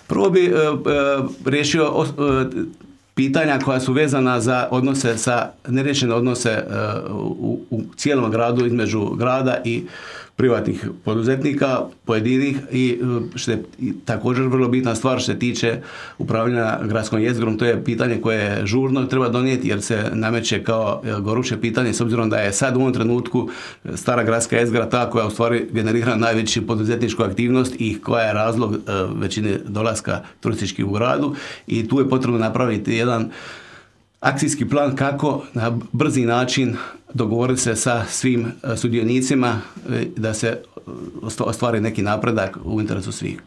Prvo bi riješio pitanja koja su vezana za odnose neriješene odnose u cijelom gradu između grada i privatnih poduzetnika, pojedinih i što je također vrlo bitna stvar što se tiče upravljanja gradskom jezgrom, to je pitanje koje je žurno treba donijeti jer se nameće kao goruće pitanje s obzirom da je sad u ovom trenutku stara gradska jezgra ta koja u stvari generira najveću poduzetničku aktivnost i koja je razlog većine dolaska turističkih u gradu i tu je potrebno napraviti jedan akcijski plan kako na brzi način dogovoriti se sa svim sudionicima da se ostvari neki napredak u interesu svih.